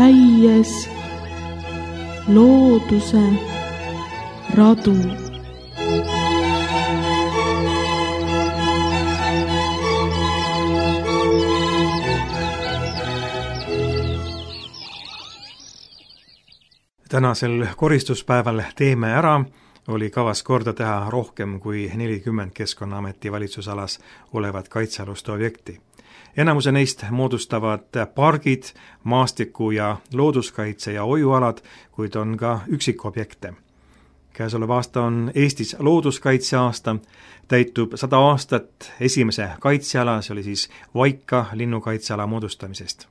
käies looduse radu. Tänasel koristuspäeval Teeme ära oli kavas korda teha rohkem kui 40 Keskkonnaameti valitsusalas olevat kaitsealust objekti. Enamuse neist moodustavad pargid, maastiku- ja looduskaitse- ja hoiualad, kuid on ka üksikobjekte. Käesolev aasta on Eestis looduskaitseaasta, täitub 100 aastat esimese kaitseala, see oli siis Vaika linnukaitseala moodustamisest.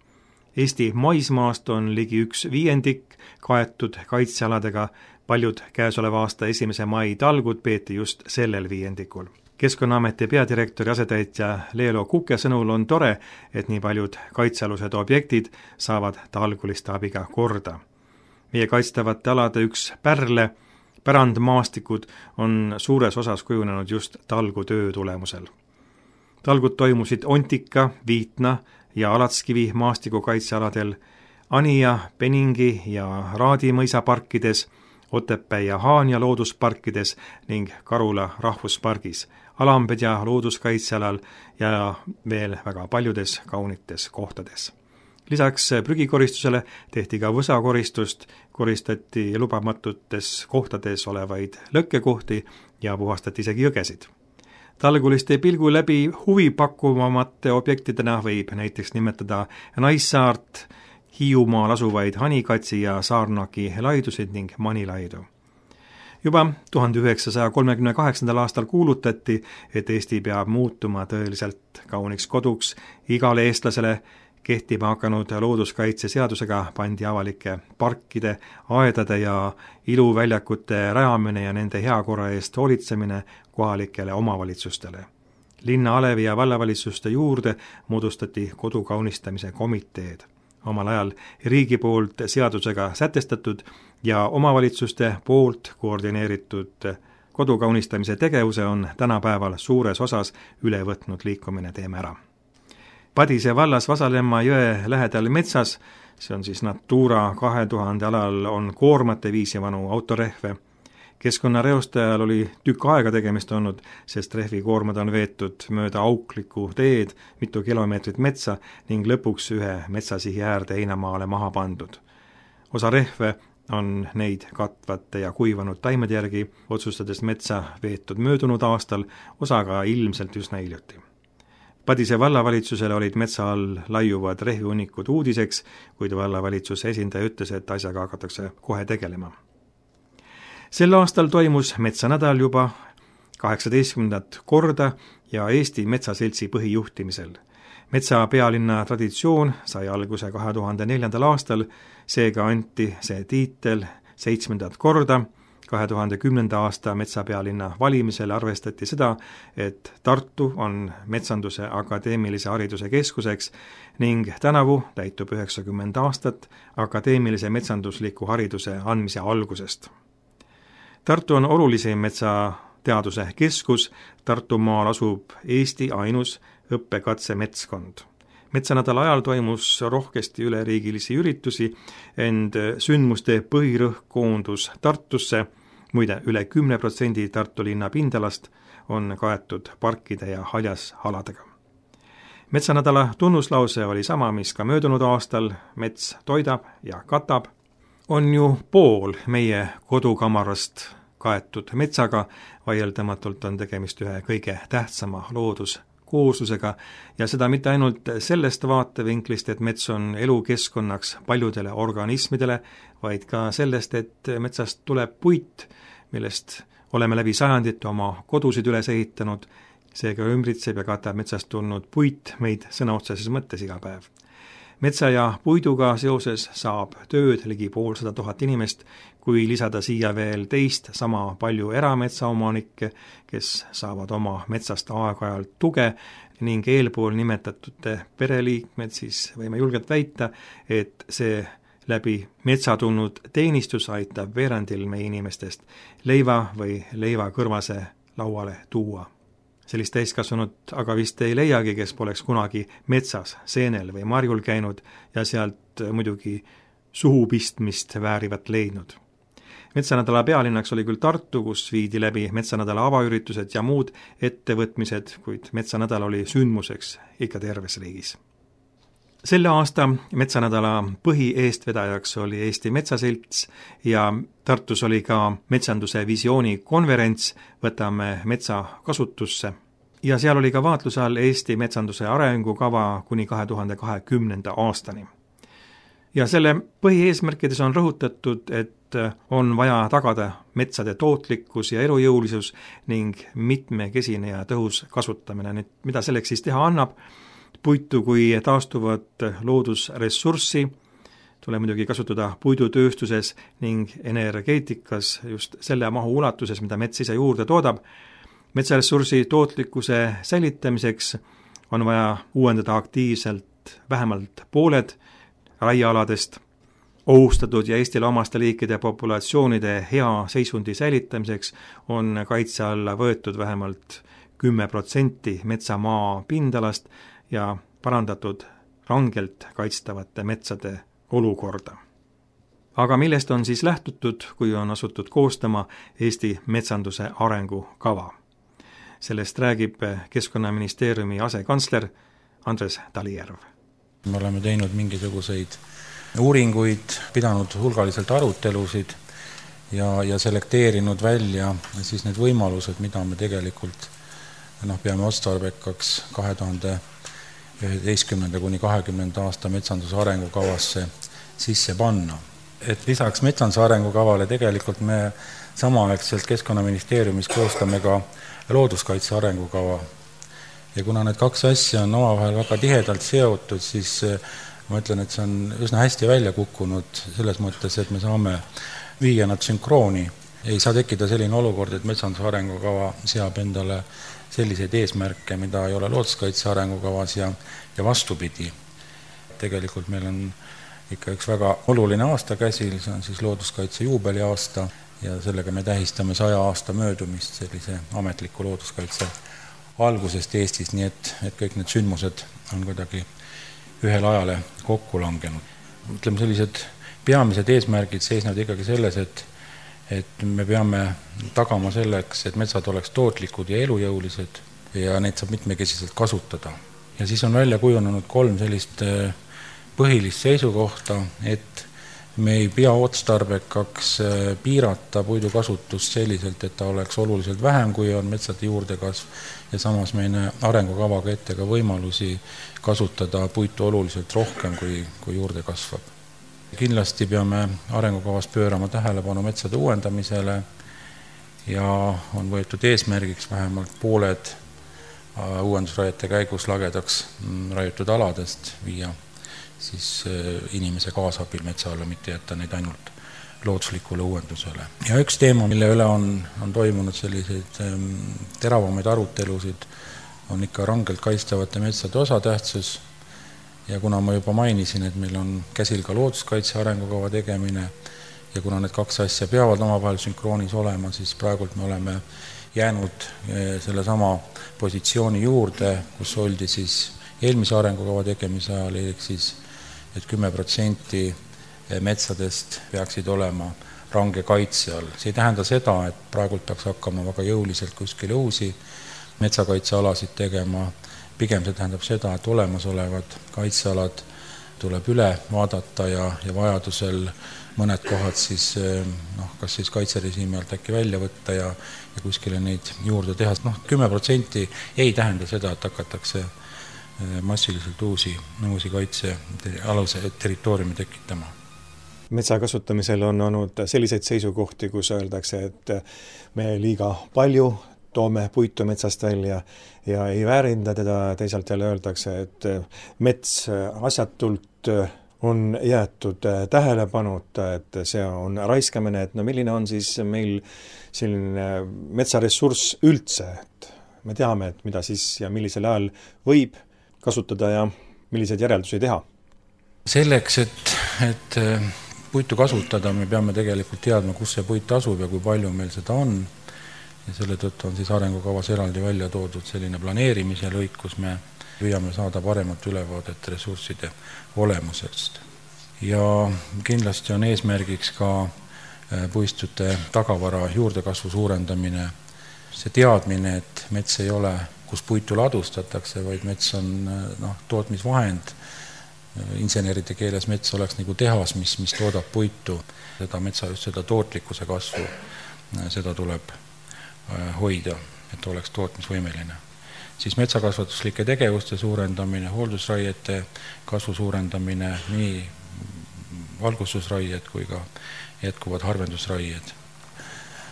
Eesti maismaast on ligi 1/5 kaetud kaitsealadega, paljud käesoleva aasta 1. mai talgud peeti just sellel viiendikul. Keskkonnaameti peadirektori asetäitja Leelo Kuke sõnul on tore, et nii paljud kaitsealused objektid saavad talguliste abiga korda. Meie kaitstavate alade üks pärle, pärandmaastikud on suures osas kujunenud just talgutöö tulemusel. Talgud toimusid Ontika, Viitna ja Alatskivi maastikukaitsealadel, Anija, Peningi ja Raadi mõisaparkides, Otepää ja Haanja loodusparkides ning Karula rahvuspargis, Alambedja looduskaitsealal ja veel väga paljudes kaunites kohtades. Lisaks prügikoristusele tehti ka võsakoristust, koristati lubamatutes kohtades olevaid lõkkekohti ja puhastati isegi jõgesid. Talguliste pilgu läbi huvipakkuvamate objektidena võib näiteks nimetada Naissaart, Hiiumaal asuvaid Hanikatsi ja Saarnaki laidusid ning Manilaidu. Juba 1938. aastal kuulutati, et Eesti peab muutuma tõeliselt kauniks koduks igale eestlasele. Kehtima hakanud looduskaitseseadusega pandi avalike parkide, aedade ja iluväljakute rajamine ja nende heakorra eest hoolitsemine kohalikele omavalitsustele. Linna, alevi ja vallavalitsuste juurde moodustati kodu kaunistamise komiteed. Omal ajal riigi poolt seadusega sätestatud ja omavalitsuste poolt koordineeritud kodu kaunistamise tegevuse on tänapäeval suures osas üle võtnud liikumine Teeme ära. Padise vallas Vasalemma jõe lähedal metsas, see on siis Natura 2000 alal, on koormate viisi vanu autorehve. Keskkonnareostajal oli tükk aega tegemist olnud, sest rehvikoormad on veetud mööda auklikku teed, mitu kilomeetrit metsa ning lõpuks ühe metsasihi äärde heinamaale maha pandud. Osa rehve on neid katvate ja kuivanud taimede järgi, otsustades metsa veetud möödunud aastal, osa ka ilmselt üsna hiljuti. Padise vallavalitsusele olid metsa all laiuvad rehvihunnikud uudiseks, kuid vallavalitsuse esindaja ütles, et asjaga hakatakse kohe tegelema. Sel aastal toimus metsanädal juba 18. korda ja Eesti Metsaseltsi põhijuhtimisel. Metsa pealinna traditsioon sai alguse 2004. aastal, seega anti see tiitel 7. korda. 2010. aasta metsapealinna valimisel arvestati seda, et Tartu on metsanduse akadeemilise hariduse keskuseks ning tänavu täitub 90 aastat akadeemilise metsandusliku hariduse andmise algusest. Tartu on olulisim metsateaduse keskus, Tartumaal asub Eesti ainus õppekatsemetskond. Metsanädala ajal toimus rohkesti üleriigilisi üritusi, ent sündmuste põhirõhk koondus Tartusse. Muide, üle 10% Tartu linna pindalast on kaetud parkide ja haljasaladega. Metsanädala tunnuslause oli sama, mis ka möödunud aastal, mets toidab ja katab. On ju pool meie kodukamarast kaetud metsaga, vaieldamatult on tegemist ühe kõige tähtsama looduskooslusega ja seda mitte ainult sellest vaatevinklist, et mets on elukeskkonnaks paljudele organismidele, vaid ka sellest, et metsast tuleb puit, millest oleme läbi sajandite oma kodusid üles ehitanud, seega ümbritseb ja katab metsast tulnud puit meid sõna otseses mõttes iga päev. Metsa ja puiduga seoses saab tööd ligi 500 000 inimest, kui lisada siia veel teist sama palju erametsaomanikke, kes saavad oma metsast aeg-ajalt tuge ning eelpool nimetatute pereliikmed, siis võime julgelt väita, et see läbi metsa tulnud teenistus aitab veerandil meie inimestest leiva või leivakõrvase lauale tuua. Sellist täiskasvanut aga vist ei leiagi, kes poleks kunagi metsas, seenel või marjul käinud ja sealt muidugi suhupistmist väärivat leidnud. Metsanädala pealinnaks oli küll Tartu, kus viidi läbi metsanädala avaüritused ja muud ettevõtmised, kuid metsanädal oli sündmuseks ikka terves riigis. Selle aasta metsanädala põhieestvedajaks oli Eesti Metsaselts ja Tartus oli ka metsanduse visiooni konverents Võtame metsa kasutusse. Ja seal oli ka vaatluse all Eesti metsanduse arengukava kuni 2020. aastani. Ja selle põhieesmärkides on rõhutatud, et on vaja tagada metsade tootlikkus ja elujõulisus ning mitmekesine ja tõhus kasutamine. Nüüd, mida selleks siis teha annab? Puitu kui taastuvat loodusressurssi tuleb muidugi kasutada puidutööstuses ning energeetikas just selle mahu ulatuses, mida mets ise juurde toodab. Metsaressursi tootlikkuse säilitamiseks on vaja uuendada aktiivselt vähemalt pooled raiealadest, ohustatud ja Eestile omaste liikide populatsioonide hea seisundi säilitamiseks on kaitse alla võetud vähemalt 10% metsamaa pindalast ja parandatud rangelt kaitstavate metsade olukorda. Aga millest on siis lähtutud, kui on asutud koostama Eesti metsanduse arengukava? Sellest räägib Keskkonnaministeeriumi asekantsler Andres Talijärv. Me oleme teinud mingisuguseid uuringuid, pidanud hulgaliselt arutelusid ja selekteerinud välja siis need võimalused, mida me tegelikult peame otstarbekaks 2011. kuni 2020. aasta metsanduse arengukavasse sisse panna. Et lisaks metsanduse arengukavale tegelikult me samaaegselt Keskkonnaministeeriumis koostame ka looduskaitse arengukava. Ja kuna need kaks asja on omavahel väga tihedalt seotud, siis ma ütlen, et see on üsna hästi välja kukkunud selles mõttes, et me saame viia nad sünkrooni. Ei saa tekkida selline olukord, et metsanduse arengukava seab endale selliseid eesmärke, mida ei ole looduskaitse arengukavas ja vastupidi. Tegelikult meil on ikka üks väga oluline aasta käsil, see on siis looduskaitse juubeliaasta ja sellega me tähistame 100 aasta möödumist sellise ametliku looduskaitse algusest Eestis, nii et kõik need sündmused on kuidagi ühel ajale kokku langenud. Ütleme, sellised peamised eesmärgid seisnevad ikkagi selles, et me peame tagama selleks, et metsad oleks tootlikud ja elujõulised ja neid saab mitmekesiselt kasutada. Ja siis on välja kujunenud 3 sellist põhilist seisukohta, et me ei pea otstarbekaks piirata puidu kasutust selliselt, et ta oleks oluliselt vähem, kui on metsade juurdekasv ja samas meie arengukavaga ette ka võimalusi kasutada puitu oluliselt rohkem, kui juurde kasvab. Kindlasti peame arengukavas pöörama tähelepanu metsade uuendamisele ja on võetud eesmärgiks vähemalt pooled uuendusraiete käigus lagedaks raiutud aladest viia siis inimese kaasabil metsa alla, mitte jätta neid ainult looduslikule uuendusele. Ja üks teema, mille üle on toimunud selliseid teravamaid arutelusid, on ikka rangelt kaitstavate metsade osatähtsus. Ja kuna ma juba mainisin, et meil on käsil ka looduskaitse arengukava tegemine ja kuna need 2 asja peavad omavahel sünkroonis olema, siis praegult me oleme jäänud selle sama positsiooni juurde, kus oldi siis eelmise arengukava tegemise ajal, siis et 10% metsadest peaksid olema range kaitse all. See ei tähenda seda, et praegult peaks hakkama väga jõuliselt kuskil uusi metsakaitsealasid tegema. Pigem see tähendab seda, et olemasolevad kaitsealad tuleb üle vaadata ja vajadusel mõned kohad siis, kas siis kaitserežiimi alt äkki välja võtta ja kuskile neid juurde teha. 10% ei tähenda seda, et hakatakse massiliselt uusi kaitsealuse territooriumi tekitama. Metsa kasutamisel on olnud selliseid seisukohti, kus öeldakse, et me liiga palju toome puitu metsast välja ja ei väärinda teda, teisalt jälle öeldakse, et mets asjatult on jäetud tähelepanuta, et see on raiskamine, et milline on siis meil selline metsaressurss üldse, et me teame, et mida siis ja millisel ajal võib kasutada ja milliseid järeldusi teha. Selleks, et puitu kasutada, me peame tegelikult teadma, kus see puit asub ja kui palju meil seda on. Ja selle tõttu on siis arengukavas eraldi välja toodud selline planeerimise lõik, kus me püüame saada paremat ülevaadet ressursside olemusest. ja kindlasti on eesmärgiks ka puistute tagavara juurdekasvu suurendamine. See teadmine, et mets ei ole, kus puitu ladustatakse, vaid mets on tootmisvahend. Inseneride keeles mets oleks nagu tehas, mis toodab puitu. Just seda tootlikkuse kasvu, seda tuleb hoida, et oleks tootmisvõimeline. Siis metsakasvatuslike tegevuste suurendamine, hooldusraiete kasvu suurendamine, nii valgustusraied kui ka jätkuvad harvendusraied.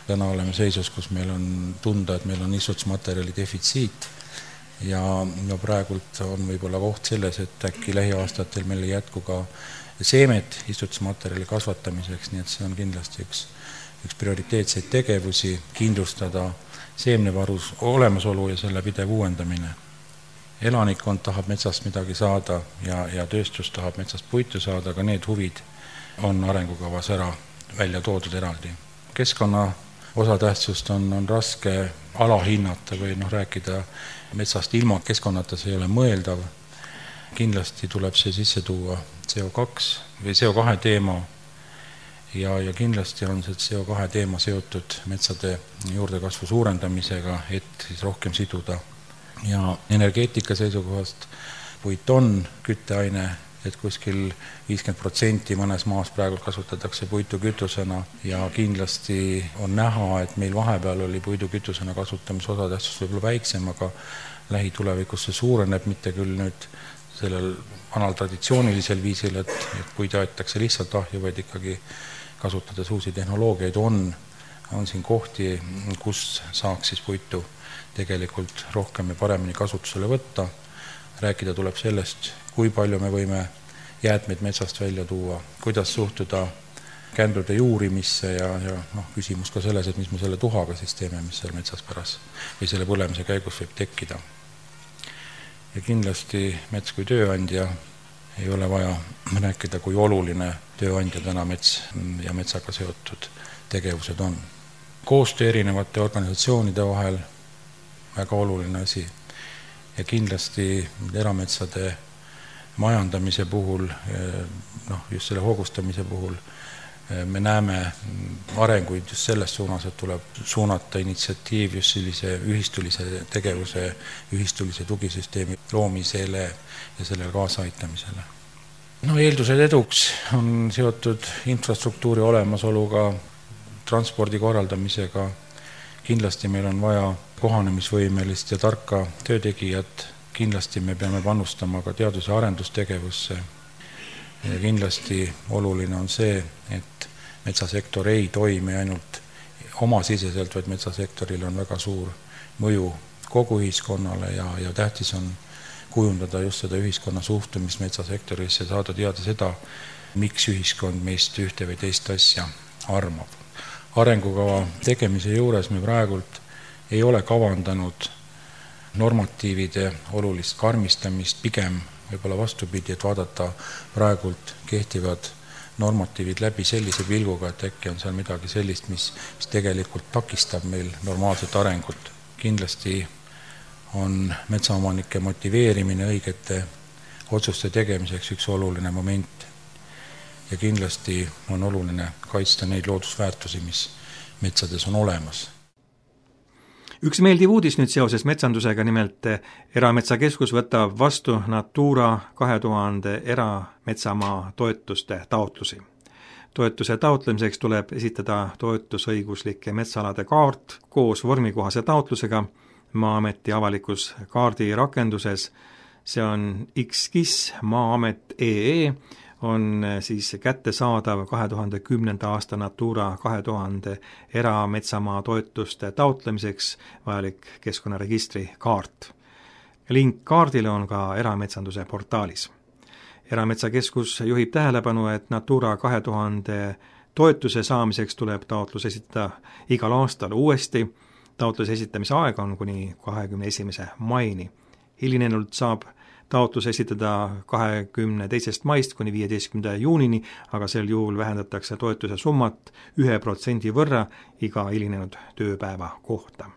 Täna oleme seisus, kus meil on tunda, et meil on istutusmaterjali defitsiit ja praegult on võib-olla koht selles, et äkki lähiaastatel meil ei jätku ka seemet istutusmaterjali kasvatamiseks, nii et see on kindlasti üks prioriteetseid tegevusi, kindlustada seemnevarus olemasolu ja selle pidev uuendamine. Elanikkond tahab metsast midagi saada ja tööstus tahab metsast puitu saada, aga need huvid on arengukavas välja toodud eraldi. Keskkonna osatähtsust on raske alahinnata või rääkida metsast ilma keskkonnata, see ei ole mõeldav. Kindlasti tuleb see sisse tuua CO2 teema ja kindlasti on see CO2 teema seotud metsade juurdekasvu suurendamisega, et siis rohkem siduda. Ja energeetika seisukohast puit on kütteaine, et kuskil 50% mõnes maas praegu kasutatakse puitu kütusena ja kindlasti on näha, et meil vahepeal oli puidu kütusena kasutamise osatähtsus võib-olla väiksem, aga lähitulevikus see suureneb, mitte küll nüüd sellel vanal traditsioonilisel viisil, et puid aetakse lihtsalt ahju, vaid ikkagi kasutades uusi tehnoloogiaid on siin kohti, kus saaks siis puitu tegelikult rohkem ja paremini kasutusele võtta. Rääkida tuleb sellest, kui palju me võime jäätmeid metsast välja tuua, kuidas suhtuda kändrude juurimisse ja küsimus ka selles, et mis me selle tuhaga siis teeme, mis seal metsas pärast või selle põlemise käigus võib tekkida. Ja kindlasti mets kui tööandja ei ole vaja rääkida, kui oluline tööandja täna mets ja metsaga seotud tegevused on. Koostöö erinevate organisatsioonide vahel väga oluline asi ja kindlasti erametsade majandamise puhul, just selle hoogustamise puhul, me näeme arenguid just selles suunas, et tuleb suunata initsiatiiv just sellise ühistulise tegevuse, ühistulise tugisüsteemi loomisele ja sellele kaasaaitamisele. Eeldused eduks on seotud infrastruktuuri olemasoluga, transpordi korraldamisega. Kindlasti meil on vaja kohanemisvõimelist ja tarka töötegijat. Kindlasti me peame panustama ka teadus- ja arendustegevusse. Ja kindlasti oluline on see, et metsasektor ei toimi ainult omasiseselt, vaid metsasektoril on väga suur mõju kogu ühiskonnale ja tähtis on kujundada just seda ühiskonna suhtumist metsasektorisse, saada teada seda, miks ühiskond meist ühte või teist asja armab. Arengukava tegemise juures me praegult ei ole kavandanud normatiivide olulist karmistamist, pigem võib-olla vastupidi, et vaadata praegult kehtivad normatiivid läbi sellise pilguga, et äkki on seal midagi sellist, mis tegelikult takistab meil normaalset arengut. Kindlasti on metsaomanike motiveerimine õigete otsuste tegemiseks üks oluline moment ja kindlasti on oluline kaitsta neid loodusväärtusi, mis metsades on olemas. Üks meeldiv uudis nüüd seoses metsandusega, nimelt Erametsakeskus võtab vastu Natura 2000 erametsamaa toetuste taotlusi. Toetuse taotlemiseks tuleb esitada toetusõiguslike metsaalade kaart koos vormikohase taotlusega Maa-ameti avalikus kaardi rakenduses. See on XKIS Maa-amet.ee on siis kättesaadav 2010. aasta Natura 2000 erametsamaa toetuste taotlemiseks vajalik keskkonnaregistri kaart. Link kaardile on ka erametsanduse portaalis. Erametsakeskus juhib tähelepanu, et Natura 2000 toetuse saamiseks tuleb taotlus esitada igal aastal uuesti. Taotluse esitamise aeg on kuni 21. maini. Hilinenult saab taotlus esitada 22. maist kuni 15. juunini, aga sel juhul vähendatakse toetuse summat 1% võrra iga hilinenud tööpäeva kohta.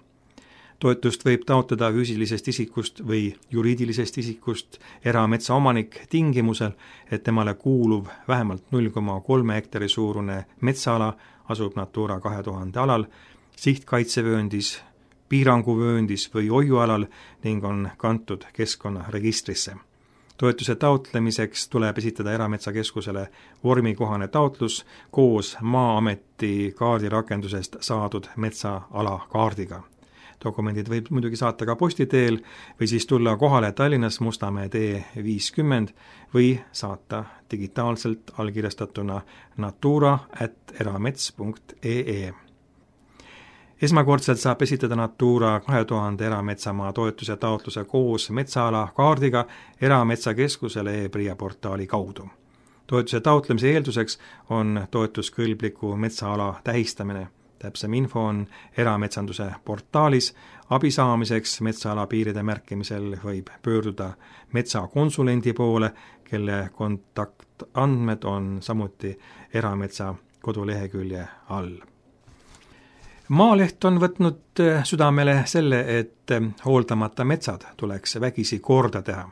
Toetust võib taotleda füüsilisest isikust või juriidilisest isikust erametsaomanik tingimusel, et temale kuuluv vähemalt 0,3 hektari suurune metsaala asub Natura 2000 alal, sihtkaitsevööndis, piiranguvööndis või hoiualal ning on kantud keskkonnaregistrisse. Toetuse taotlemiseks tuleb esitada Erametsakeskusele vormikohane taotlus koos Maa-ameti kaardirakendusest saadud metsaala kaardiga. Dokumendid võib muidugi saata ka posti teel või siis tulla kohale Tallinnas Mustamäe tee 50 või saata digitaalselt allkirjastatuna natura@eramets.ee. Esmakordselt saab esitada Natura 2000 erametsamaa toetuse taotluse koos metsaala kaardiga Erametsakeskusele e-PRIA portaali kaudu. Toetuse taotlemise eelduseks on toetuskõlbliku metsaala tähistamine. Täpsem info on erametsanduse portaalis. Abi saamiseks metsaala piiride märkimisel võib pöörduda metsakonsulendi poole, kelle kontaktandmed on samuti erametsa kodulehekülje all. Maaleht on võtnud südamele selle, et hooldamata metsad tuleks vägisi korda teha.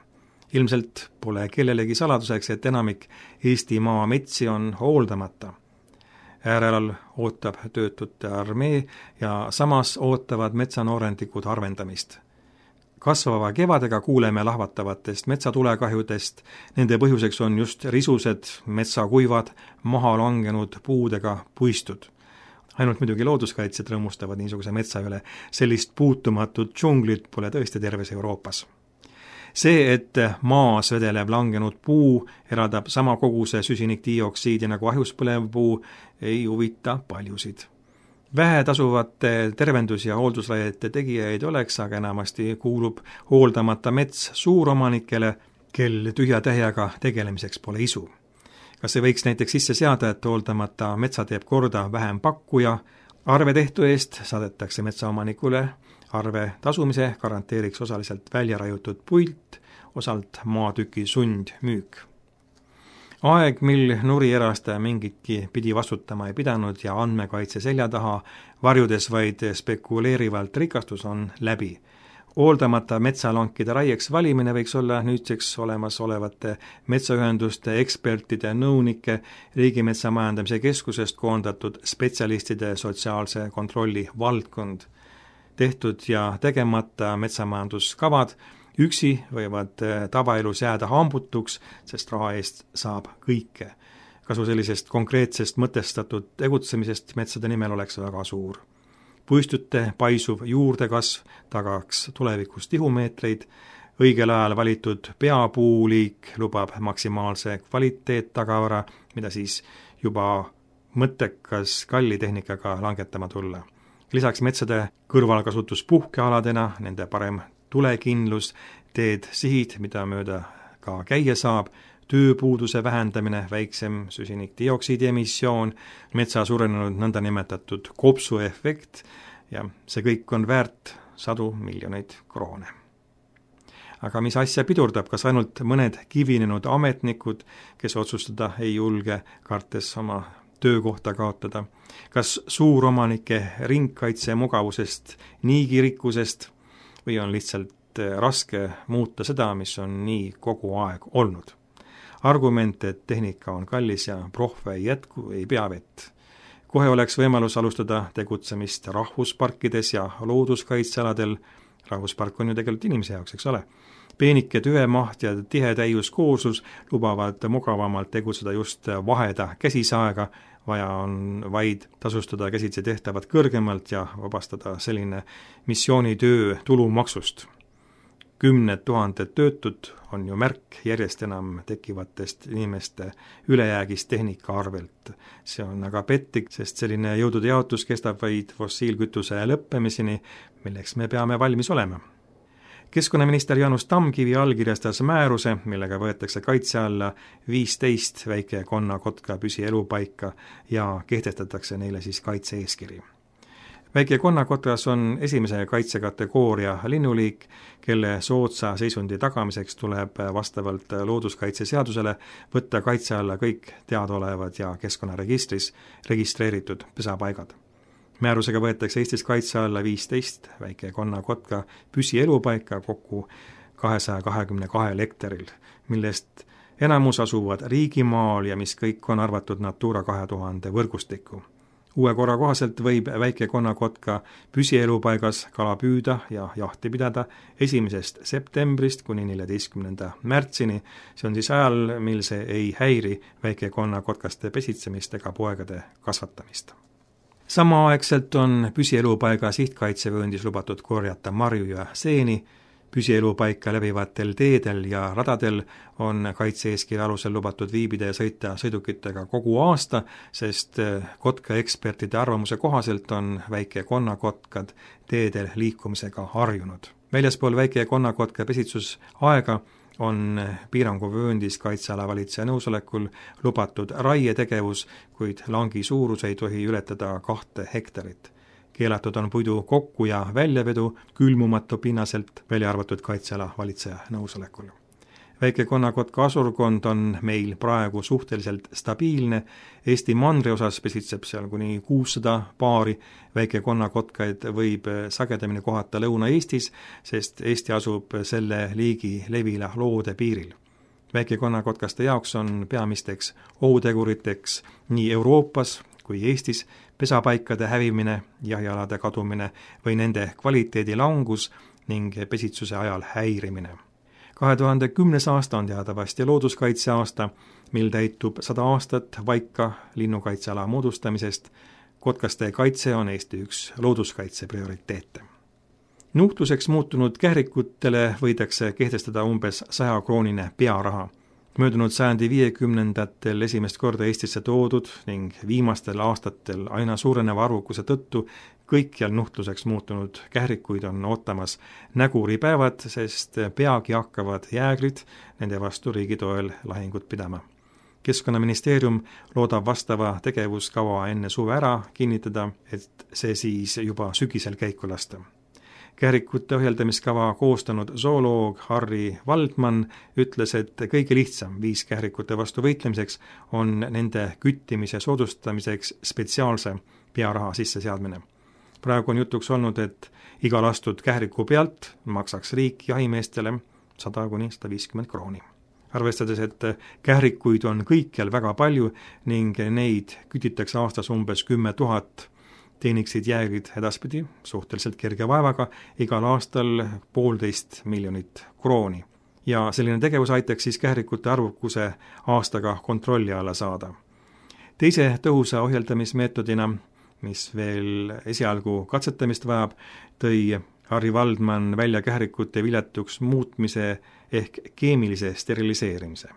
Ilmselt pole kellelegi saladuseks, et enamik Eesti maametsi on hooldamata. Äärelal ootab töötute armee ja samas ootavad metsanoorendikud harvendamist. Kasvava kevadega kuuleme lahvatavatest metsatulekahjudest, nende põhjuseks on just risused, metsakuivad, maha langenud puudega puistud. Ainult muidugi looduskaitsjad rõõmustavad niisuguse metsa üle, sellist puutumatut džunglit pole tõesti terves Euroopas. See, et maas vedelev langenud puu eraldab sama koguse süsinikdioksiidi nagu ahjus põlev puu, ei huvita paljusid. Vähe tasuvate tervendus- ja hooldusraiete tegijaid oleks, aga enamasti kuulub hooldamata mets suuromanikele, kel tühja tähjaga tegelemiseks pole isu. Kas see võiks näiteks sisse seada, et hooldamata metsa teeb korda vähem pakkuja, arve tehtu eest saadetakse metsaomanikule, arve tasumise garanteeriks osaliselt välja raiutud puilt, osalt maatüki sundmüük. Aeg, mil nurierastaja mingitki pidi vastutama ei pidanud ja andmekaitse selja taha, varjudes vaid spekuleerivalt rikastus, on läbi. Hooldamata metsalankide raieks valimine võiks olla nüüdseks olemas olevate metsaühenduste, ekspertide, nõunike, Riigimetsa Majandamise Keskusest koondatud spetsialistide sotsiaalse kontrolli valdkond. Tehtud ja tegemata metsamajanduskavad üksi võivad tavaelus jääda hambutuks, sest raha eest saab kõike. Kasu sellisest konkreetsest mõtestatud tegutsemisest metsade nimel oleks väga suur. Puistute paisuv juurdekasv tagaks tulevikus tihumeetreid, õigel ajal valitud peapuuliik lubab maksimaalse kvaliteettagavara, mida siis juba mõttekas kalli tehnikaga langetama tulla. Lisaks metsade kõrvalkasutus puhkealadena, nende parem tulekindlus, teed sihid, mida mööda ka käia saab, tööpuuduse vähendamine, väiksem süsinikdioksiidi emissioon, metsa suurenenud nõndanimetatud kopsuefekt ja see kõik on väärt 100 miljoneid kroone. Aga mis asja pidurdab, kas ainult mõned kivinenud ametnikud, kes otsustada ei julge, kartes oma töökohta kaotada, kas suuromanike ringkaitse mugavusest, niigirikkusest või on lihtsalt raske muuta seda, mis on nii kogu aeg olnud. Argument, et tehnika on kallis ja prohve ei jätku, ei pea vett. Kohe oleks võimalus alustada tegutsemist rahvusparkides ja looduskaitsealadel. Rahvuspark on ju tegelikult inimese jaoks, eks ole. Peenike tüvemaht ja tihe täiuskooslus lubavad mugavamalt tegutseda just vaheda käsisaega, vaja on vaid tasustada käsitsi tehtavat kõrgemalt ja vabastada selline missioonitöö tulumaksust. 10 000 töötud on ju märk järjest enam tekkivatest inimeste ülejäägist tehnika arvelt. See on aga pettik, sest selline jõudude jaotus kestab vaid fossiilkütuse lõppemiseni, milleks me peame valmis olema. Keskkonnaminister Jaanus Tamkivi allkirjastas määruse, millega võetakse kaitse alla 15 väike-konnakotka püsielupaika ja kehtestatakse neile siis kaitse-eeskiri. Väike-konnakotras on esimese kaitsekategooria linnuliik, kelle soodsa seisundi tagamiseks tuleb vastavalt looduskaitseseadusele võtta kaitse alla kõik teadaolevad ja keskkonnaregistris registreeritud pesapaigad. Määrusega võetakse Eestis kaitse alla 15 väike-konnakotka püsielupaika kokku 222 hektaril, millest enamus asuvad riigimaal ja mis kõik on arvatud Natura 2000 võrgustikku. Uue korra kohaselt võib väike-konnakotka püsielupaigas kala püüda ja jahti pidada 1. septembrist kuni 14. märtsini, see on siis ajal, mil see ei häiri väike-konnakotkaste pesitsemist ega poegade kasvatamist. Samaaegselt on püsielupaiga sihtkaitsevööndis lubatud korjata marju ja seeni, püsielupaika läbivatel teedel ja radadel on kaitse-eeskirja alusel lubatud viibida ja sõita sõidukitega kogu aasta, sest kotkaekspertide arvamuse kohaselt on väike-konnakotkad teedel liikumisega harjunud. Väljaspool väike-konnakotka pesitsusaega on piiranguvööndis kaitseala valitseja nõusolekul lubatud raietegevus, kuid langi suurus ei tohi ületada 2 hektarit. Keelatud on puidu kokku- ja väljavedu külmumatu pinnaselt, välja arvatud kaitseala valitseja nõusolekul. Väike-konnakotka asurkond on meil praegu suhteliselt stabiilne, Eesti mandri osas pesitseb seal kuni 600 paari, väike-konnakotkaid võib sagedamini kohata Lõuna-Eestis, sest Eesti asub selle liigi levila loode piiril. Väike-konnakotkaste jaoks on peamisteks ohuteguriteks nii Euroopas kui Eestis pesapaikade hävimine, jahialade kadumine või nende kvaliteedi langus ning pesitsuse ajal häirimine. 2010. aasta on teadavasti looduskaitseaasta, mil täitub 100 aastat Vaika linnukaitseala moodustamisest. Kotkaste kaitse on Eesti üks looduskaitse prioriteete. Nuhtluseks muutunud kährikutele võidakse kehtestada umbes 100-kroonine pearaha. Möödunud sajandi 50-ndatel esimest korda Eestisse toodud ning viimastel aastatel aina suureneva arvukuse tõttu kõikjal nuhtluseks muutunud kährikuid on ootamas näguripäevad, sest peagi hakkavad jäägrid nende vastu riigi toel lahingut pidama. Keskkonnaministeerium loodab vastava tegevuskava enne suve ära kinnitada, et see siis juba sügisel käiku lasta. Kährikute ohjeldamiskava koostanud zooloog Harri Valdman ütles, et kõige lihtsam viis kährikute vastu võitlemiseks on nende küttimise soodustamiseks spetsiaalse pearaha sisseseadmine. Praegu on jutuks olnud, et iga lastud kähriku pealt maksaks riik jahimeestele 100–150 krooni. Arvestades, et kährikuid on kõikjal väga palju ning neid kütitakse aastas umbes 10 000, teeniksid jäägrid edaspidi suhteliselt kerge vaevaga igal aastal 1,5 miljonit krooni. Ja selline tegevus aitaks siis kährikute arvukuse aastaga kontrolli alla saada. Teise tõhusa ohjeldamismeetodina, mis veel esialgu katsetamist vajab, tõi Harri Valdman välja kährikute viljatuks muutmise ehk keemilise steriliseerimise.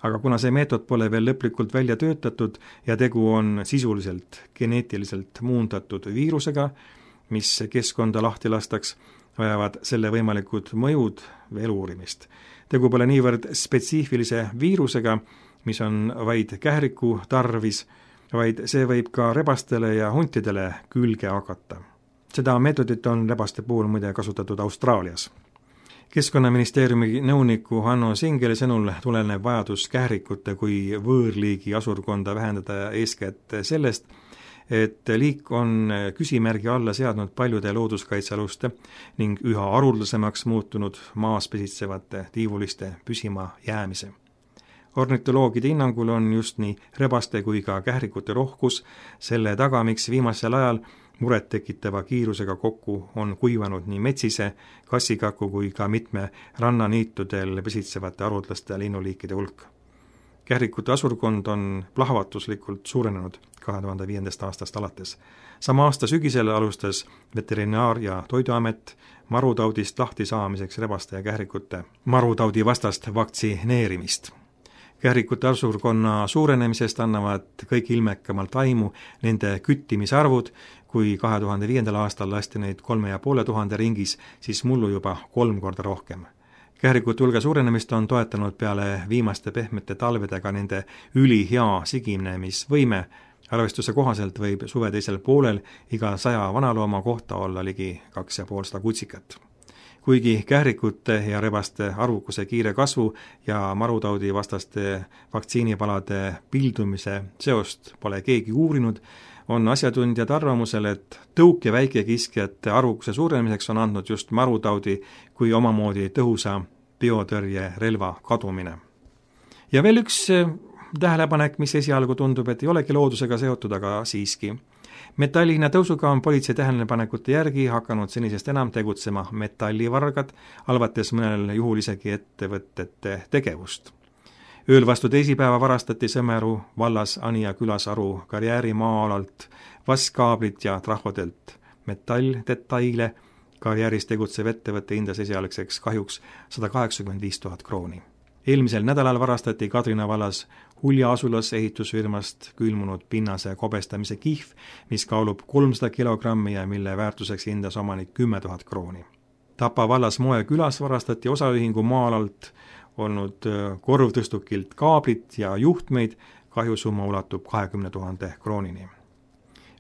Aga kuna see meetod pole veel lõplikult välja töötatud ja tegu on sisuliselt geneetiliselt muundatud viirusega, mis keskkonda lahti lastaks, vajavad selle võimalikud mõjud veel uurimist. Tegu pole niivõrd spetsiifilise viirusega, mis on vaid kähriku tarvis, vaid see võib ka rebastele ja huntidele külge hakata. Seda meetodit on rebaste puhul muide kasutatud Austraalias. Keskkonnaministeeriumi nõuniku Hanno Singeli sõnul tuleneb vajadus kährikute kui võõrliigi asurkonda vähendada eeskätt sellest, et liik on küsimärgi alla seadnud paljude looduskaitsealuste ning üha haruldasemaks muutunud maas pesitsevate tiivuliste püsima jäämise. Ornitoloogide hinnangul on just nii rebaste kui ka kährikute rohkus selle taga, miks viimasel ajal muret tekitava kiirusega kokku on kuivanud nii metsise, kassikaku kui ka mitme rannaniitudel pesitsevate haruldaste linnuliikide hulk. Kährikute asurkond on plahvatuslikult suurenenud 2005. aastast alates. Sama aasta sügisel alustas Veterinaar- ja Toiduamet marutaudist lahti saamiseks rebaste ja kährikute marutaudi vastast vaktsineerimist. Kährikute asurkonna suurenemisest annavad kõik ilmekamalt aimu nende küttimisarvud, kui 2005. aastal lasti neid 3500 ringis, siis mullu juba 3 korda rohkem. Kährikute hulga suurenemist on toetanud peale viimaste pehmete talvedega nende ülihea siginemisvõime. Arvestuse kohaselt võib suve teisel poolel iga 100 vanalooma kohta olla ligi 250 kutsikat. Kuigi kährikute ja rebaste arvukuse kiire kasvu ja marutaudi vastaste vaktsiinipalade pildumise seost pole keegi uurinud, on asjatundjad arvamusel, et tõuk- ja väikekiskjate arvukuse suurenemiseks on andnud just marutaudi kui omamoodi tõhusa biotõrjerelva kadumine. Ja veel üks tähelepanek, mis esialgu tundub, et ei olegi loodusega seotud, aga siiski. Metalli hinna tõusuga on politsei tähelepanekute järgi hakanud senisest enam tegutsema metallivargad, halvates mõnel juhul isegi ettevõtete tegevust. Ööl vastu teisipäeva varastati Sõmeru vallas Anija külas Aru karjääri maa-alalt vaskkaablid ja trahvodelt metalldetaile. Karjääris tegutsev ettevõtte hindas esialgseks kahjuks 185 000 krooni. Eelmisel nädalal varastati Kadrina vallas Hulja asulas ehitusfirmast külmunud pinnase kobestamise kihv, mis kaalub 300 kilogrammi ja mille väärtuseks hindas omanik 10 000 krooni. Tapa vallas Moe külas varastati osaühingu maa-alalt olnud korvtõstukilt kaablit ja juhtmeid, kahjusumma ulatub 20 000 kroonini.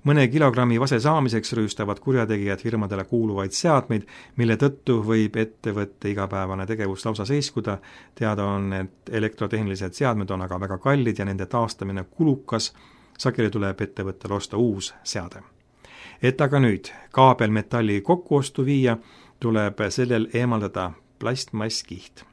Mõne kilogrammi vase saamiseks rüüstavad kurjategijad firmadele kuuluvaid seadmeid, mille tõttu võib ettevõtte igapäevane tegevus lausa seiskuda. Teada on, et elektrotehnilised seadmed on aga väga kallid ja nende taastamine kulukas. Sageli tuleb ettevõttel osta uus seade. Et aga nüüd kaabelmetalli kokkuostu viia, tuleb sellel eemaldada plastmasskiht,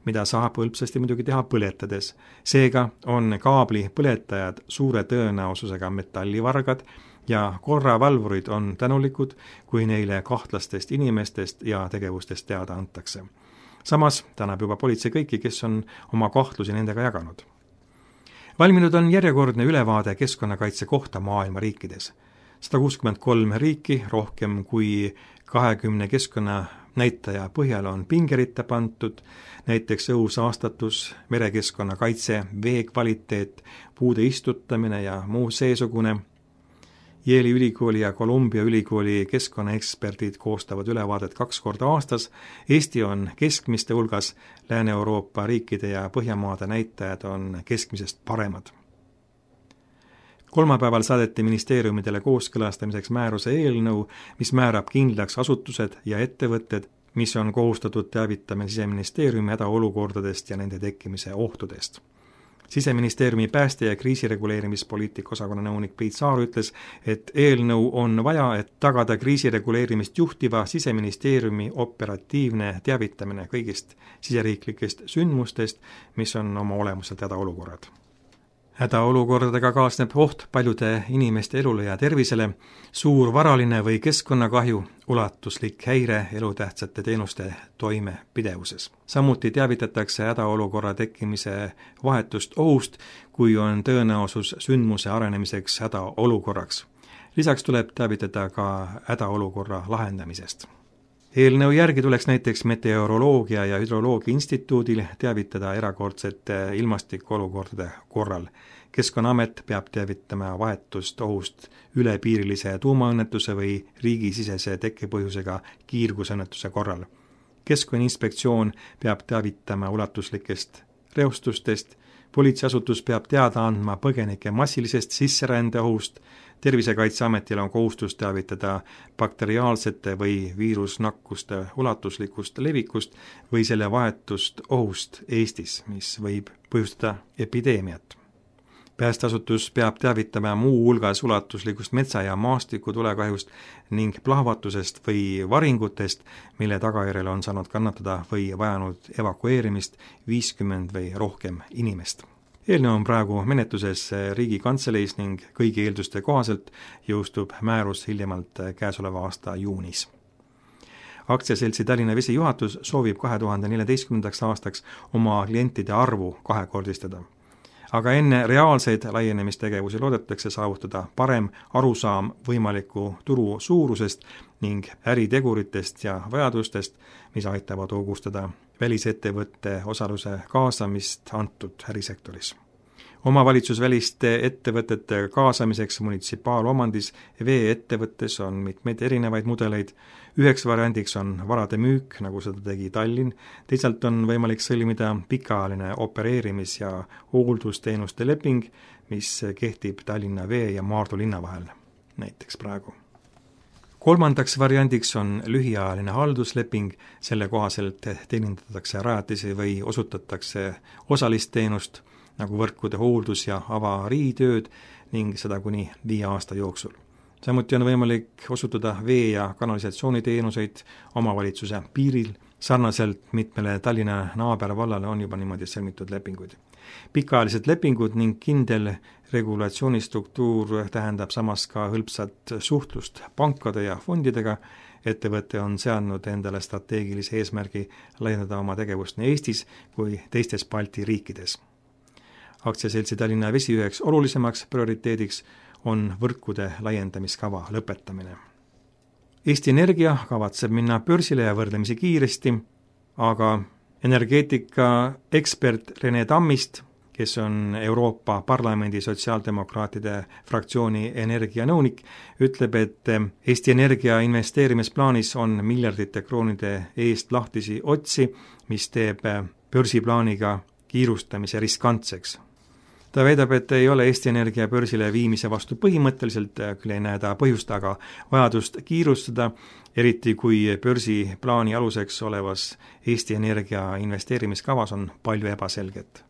mida saab hõlpsasti muidugi teha põletades. Seega on kaabli põletajad suure tõenäosusega metallivargad ja korravalvurid on tänulikud, kui neile kahtlastest inimestest ja tegevustest teada antakse. Samas tänab juba politsei kõiki, kes on oma kahtlusi nendega jaganud. Valminud on järjekordne ülevaade keskkonnakaitse kohta maailma riikides. 163 riiki, rohkem kui 20 keskkonnanäitaja põhjal on pingeritta pantud, näiteks õhusaastatus, merekeskkonna kaitse, vee kvaliteet, puude istutamine ja muu seesugune. Yale'i ülikooli ja Columbia ülikooli keskkonnaeksperdid koostavad ülevaadet 2 korda aastas. Eesti on keskmiste hulgas, Lääne-Euroopa riikide ja Põhjamaade näitajad on keskmisest paremad. Kolmapäeval saadeti ministeeriumidele kooskõlastamiseks määruse eelnõu, mis määrab kindlaks asutused ja ettevõtted, mis on kohustatud teavitama Siseministeeriumi hädaolukordadest ja nende tekkimise ohtudest. Siseministeeriumi pääste- ja kriisireguleerimispoliitika osakonna nõunik Priit Saar ütles, et eelnõu on vaja, et tagada kriisireguleerimist juhtiva Siseministeeriumi operatiivne teavitamine kõigist siseriiklikest sündmustest, mis on oma olemuselt hädaolukorrad. Hädaolukordadega kaasneb oht paljude inimeste elule ja tervisele, suur varaline või keskkonnakahju, ulatuslik häire elutähtsate teenuste toimepidevuses. Samuti teavitatakse hädaolukorra tekkimise vahetust ohust, kui on tõenäosus sündmuse arenemiseks hädaolukorraks. Lisaks tuleb teavitada ka hädaolukorra lahendamisest. Eelnõu järgi tuleks näiteks Meteoroloogia ja Hüdroloogia instituudil teavitada erakordsete ilmastikuolukordade korral. Keskkonnaamet peab teavitama vahetust ohust ülepiirilise tuumaõnnetuse või riigisisese tekkepõhjusega kiirgusõnnetuse korral. Keskkonnainspektsioon peab teavitama ulatuslikest reostustest, politseiasutus peab teada andma põgenike massilisest sisserände ohust, Tervisekaitseametil on kohustus teavitada bakteriaalsete või viirusnakkuste ulatuslikust levikust või selle vahetust ohust Eestis, mis võib põhjustada epideemiat. Päästeasutus peab teavitama muu hulgas ulatuslikust metsa- ja maastikutulekahjust ning plahvatusest või varingutest, mille tagajärjel on saanud kannatada või vajanud evakueerimist 50 või rohkem inimest. Eelnõu on praegu menetluses Riigikantseleis ning kõigi eelduste kohaselt jõustub määrus hiljemalt käesoleva aasta juunis. Aktsiaseltsi Tallinna Vesi juhatus soovib 2014. aastaks oma klientide arvu kahekordistada. Aga enne reaalseid laienemistegevusi loodetakse saavutada parem arusaam võimaliku turu suurusest ning äriteguritest ja vajadustest, mis aitavad hoogustada välisettevõtte osaluse kaasamist antud ärisektoris. Omavalitsusväliste ettevõtete kaasamiseks munitsipaalomandis vee-ettevõttes on mitmeid erinevaid mudeleid. Üheks variandiks on varade müük, nagu seda tegi Tallinn, teisalt on võimalik sõlmida pikaajaline opereerimis- ja hooldusteenuste leping, mis kehtib Tallinna Vee ja Maardu linna vahel, näiteks praegu. Kolmandaks variandiks on lühiajaline haldusleping, selle kohaselt teenindatakse rajatisi või osutatakse osalist teenust, nagu võrkude hooldus- ja avariitööd ning seda kuni 5 aasta jooksul. Samuti on võimalik osutada vee- ja kanalisatsiooniteenuseid omavalitsuse piiril. Sarnaselt mitmele Tallinna naabervallale on juba niimoodi sõlmitud lepinguid. Pikaajalised lepingud ning kindel regulatsioonistruktuur tähendab samas ka hõlpsat suhtlust pankade ja fondidega. Ettevõte on seadnud endale strateegilise eesmärgi laiendada oma tegevust nii Eestis kui teistes Balti riikides. Aktsiaseltsi Tallinna Vesi üheks olulisemaks prioriteediks on võrkude laiendamiskava lõpetamine. Eesti Energia kavatseb minna börsile ja võrdlemisi kiiresti, aga energeetika ekspert Rene Tammist, kes on Euroopa Parlamendi sotsiaaldemokraatide fraktsiooni energianõunik, ütleb, et Eesti Energia investeerimisplaanis on miljardite kroonide eest lahtisi otsi, mis teeb börsiplaaniga kiirustamise riskantseks. Ta väidab, et ei ole Eesti Energia börsile viimise vastu põhimõtteliselt, küll ei näe ta põhjust, aga vajadust kiirustada, eriti kui börsiplaani aluseks olevas Eesti Energia investeerimiskavas on palju ebaselget.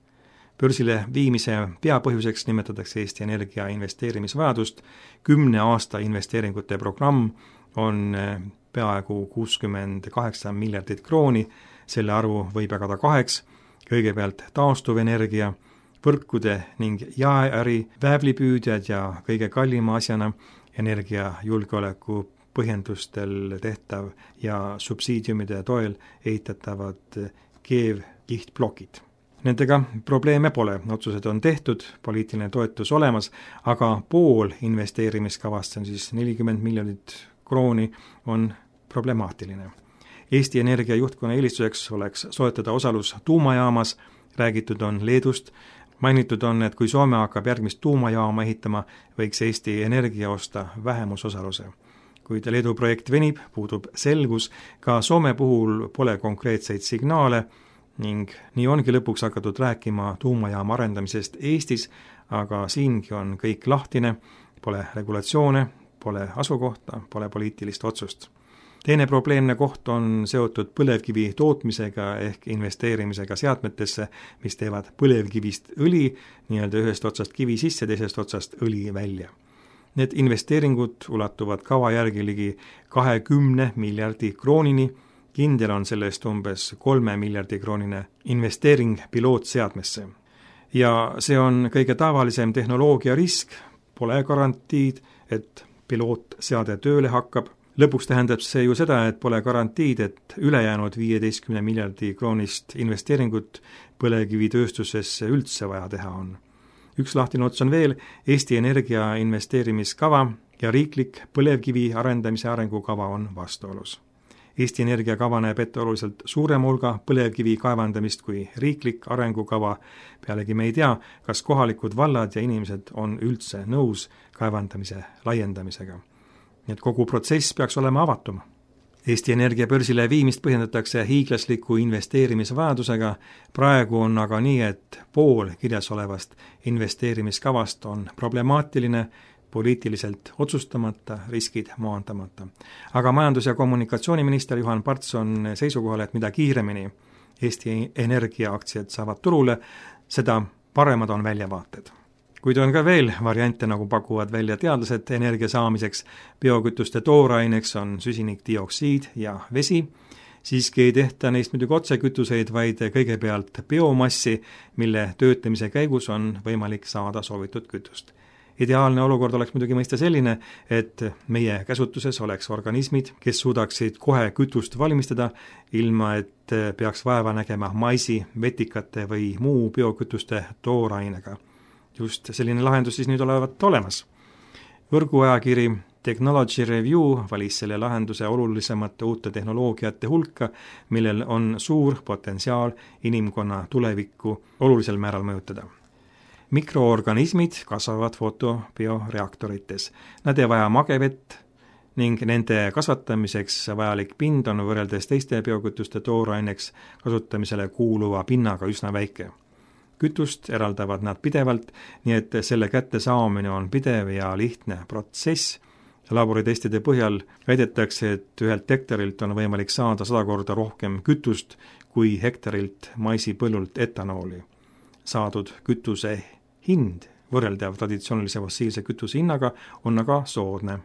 Börsile viimise peapõhjuseks nimetatakse Eesti Energia investeerimisvajadust. 10 aasta investeeringute programm on peaaegu 68 miljardit krooni, selle arvu võib jagada 2, kõigepealt taastuvenergia, võrkude ning jaeäri, väävlipüüdjad ja kõige kallima asjana energiajulgeoleku põhjendustel tehtav ja subsiidiumide toel ehitatavad keevkihtplokid. Nendega probleeme pole, otsused on tehtud, poliitiline toetus olemas, aga pool investeerimiskavast, on siis 40 miljonit krooni, on problemaatiline. Eesti Energia juhtkonna eelistuseks oleks soetada osalus tuumajaamas, räägitud on Leedust. Mainitud on, et kui Soome hakkab järgmist tuumajaama ehitama, võiks Eesti Energia osta vähemusosaluse. Kuid Leedu projekt venib, puudub selgus, ka Soome puhul pole konkreetseid signaale ning nii ongi lõpuks hakatud rääkima tuumajaama arendamisest Eestis, aga siingi on kõik lahtine, pole regulatsioone, pole asukohta, pole poliitilist otsust. Teine probleemne koht on seotud põlevkivi tootmisega ehk investeerimisega seadmetesse, mis teevad põlevkivist õli, nii-öelda ühest otsast kivi sisse, teisest otsast õli välja. Need investeeringud ulatuvad kava järgi ligi 20 miljardi kroonini, kindel on sellest umbes 3 miljardi kroonine investeering pilootseadmesse. Ja see on kõige tavalisem tehnoloogia risk, pole garantiid, et pilootseade tööle hakkab. Lõpuks tähendab see ju seda, et pole garantiid, et ülejäänud 15 miljardi kroonist investeeringut põlevkivitööstusesse üldse vaja teha on. Üks lahtine ots on veel, Eesti Energia investeerimiskava ja riiklik põlevkivi arendamise arengukava on vastuolus. Eesti Energia kava näeb ette oluliselt suurema hulga põlevkivi kaevandamist kui riiklik arengukava. Pealegi me ei tea, kas kohalikud vallad ja inimesed on üldse nõus kaevandamise laiendamisega. Nii et kogu protsess peaks olema avatuma. Eesti Energia börsile viimist põhjendatakse hiiglasliku investeerimisvajadusega. Praegu on aga nii, et pool kirjas olevast investeerimiskavast on problemaatiline, poliitiliselt otsustamata, riskid maandamata. Aga majandus- ja kommunikatsiooniminister Juhan Parts on seisukohal, et mida kiiremini Eesti Energia aktsiad saavad turule, seda paremad on väljavaated. Kuid on ka veel variante, nagu pakuvad välja teadlased energia saamiseks. Biokütuste tooraineks on süsinikdioksiid ja vesi. Siiski ei tehta neist muidugi otsekütuseid, vaid kõigepealt biomassi, mille töötlemise käigus on võimalik saada soovitud kütust. Ideaalne olukord oleks muidugi mõista selline, et meie käsutuses oleks organismid, kes suudaksid kohe kütust valmistada, ilma et peaks vaeva nägema maisi, vetikate või muu biokütuste toorainega. Just selline lahendus siis nüüd olevat olemas. Võrguajakiri Technology Review valis selle lahenduse olulisemate uute tehnoloogiate hulka, millel on suur potentsiaal inimkonna tulevikku olulisel määral mõjutada. Mikroorganismid kasvavad fotobioreaktorites. Nad ei vaja magevett ning nende kasvatamiseks vajalik pind on võrreldes teiste biokütuste tooraineks kasutamisele kuuluva pinnaga üsna väike. Kütust eraldavad nad pidevalt, nii et selle kätte saamine on pidev ja lihtne protsess. Laboritestide põhjal väidetakse, et 1 hektarilt on võimalik saada 100 korda rohkem kütust kui hektarilt maisipõllult etanooli. Saadud kütuse hind võrreldav traditsioonilise fossiilse kütuse hinnaga, on aga soodne.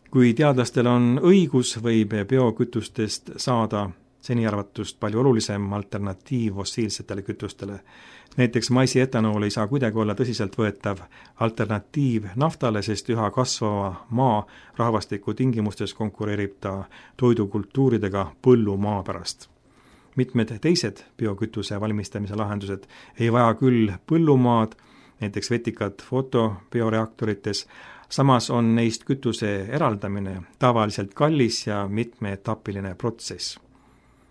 Kui teadlastel on õigus, võib biokütustest saada seni arvatust palju olulisem alternatiiv fossiilsetele kütustele. Näiteks maisi etanool ei saa kuidagi olla tõsiselt võetav alternatiiv naftale, sest üha kasvava maa rahvastiku tingimustes konkureerib ta toidukultuuridega põllumaa pärast. Mitmed teised biokütuse valmistamise lahendused ei vaja küll põllumaad, näiteks vetikad fotobioreaktorites, samas on neist kütuse eraldamine tavaliselt kallis ja mitmeetapiline protsess.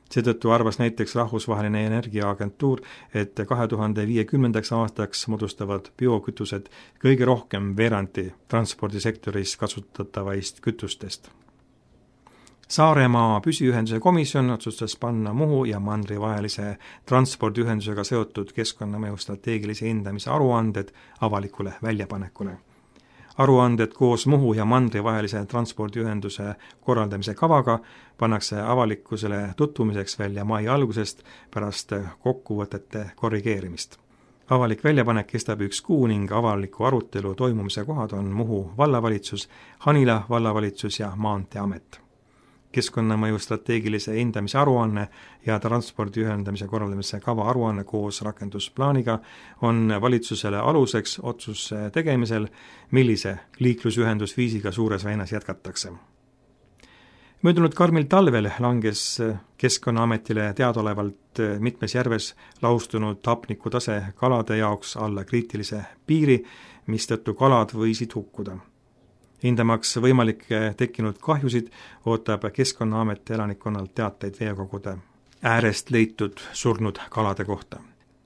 Seetõttu arvas näiteks Rahvusvaheline Energiaagentuur, et 2050. aastaks moodustavad biokütused kõige rohkem veerandi transpordisektoris kasutatavaist kütustest. Saaremaa püsiühenduse komisjon otsustas panna Muhu ja Mandri vahelise transpordiühendusega seotud keskkonnamõju strateegilise hindamise aruanded avalikule väljapanekule. Aruanded koos Muhu ja Mandri vahelise transpordiühenduse korraldamise kavaga pannakse avalikkusele tutvumiseks välja mai algusest pärast kokkuvõtete korrigeerimist. Avalik väljapanek kestab 1 kuu ning avaliku arutelu toimumise kohad on Muhu vallavalitsus, Hanila vallavalitsus ja Maanteeamet. Keskkonnamõju strateegilise hindamise aruanne ja transpordi ühendamise korraldamise kava aruanne koos rakendusplaaniga on valitsusele aluseks otsuse tegemisel, millise liiklusühendusviisiga Suures väinas jätkatakse. Möödunud karmil talvel langes Keskkonnaametile teadaolevalt mitmes järves laustunud hapnikutase kalade jaoks alla kriitilise piiri, mistõttu kalad võisid hukkuda. Hindamaks võimalikke tekkinud kahjusid ootab Keskkonnaamet elanikkonnalt teateid veekogude äärest leitud surnud kalade kohta.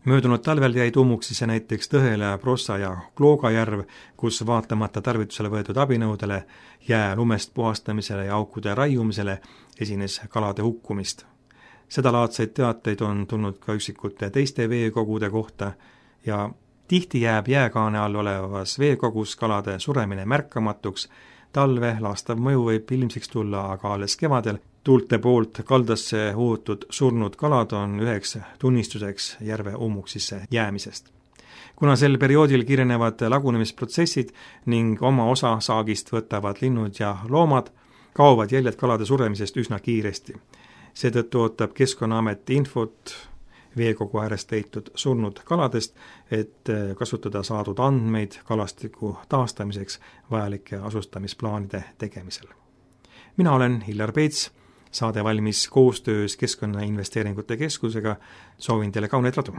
Möödunud talvel jäi tuumuksisse näiteks Tõhele, Prossa ja Klooga järv, kus vaatamata tarvitusele võetud abinõudele, jää lumest puhastamisele ja aukude raiumisele esines kalade hukkumist. Sedalaadseid teateid on tulnud ka üksikute teiste veekogude kohta ja tihti jääb jääkaane all olevas veekogus kalade suremine märkamatuks, talve laastav mõju võib ilmsiks tulla aga alles kevadel. Tuulte poolt kaldasse uutud surnud kalad on üheks tunnistuseks järve ummuksisse jäämisest. Kuna sel perioodil kiirenevad lagunemisprotsessid ning oma osa saagist võtavad linnud ja loomad, kaovad jäljed kalade suremisest üsna kiiresti. Seetõttu ootab Keskkonnaamet infot veekogu äärest leitud surnud kaladest, et kasutada saadud andmeid kalastiku taastamiseks vajalike asustamisplaanide tegemisel. Mina olen Hillar Peets, saade valmis koostöös Keskkonnainvesteeringute Keskusega, soovin teile kauneid radu.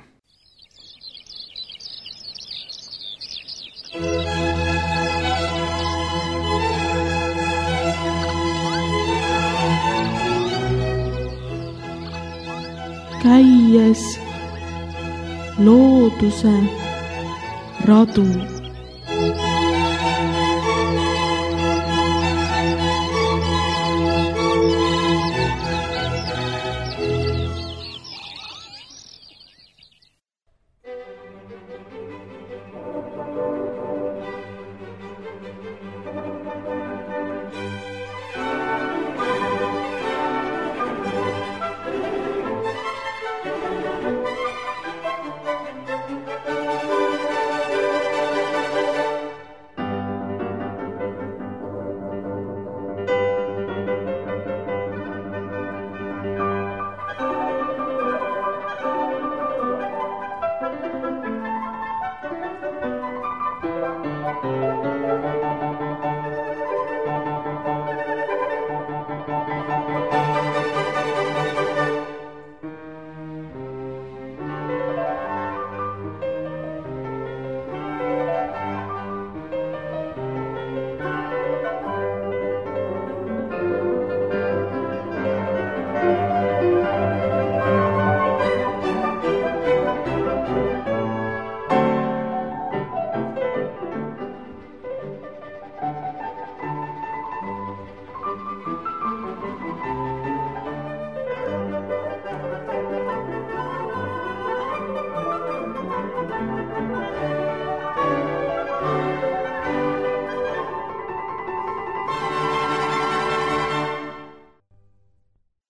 Käies looduse radu.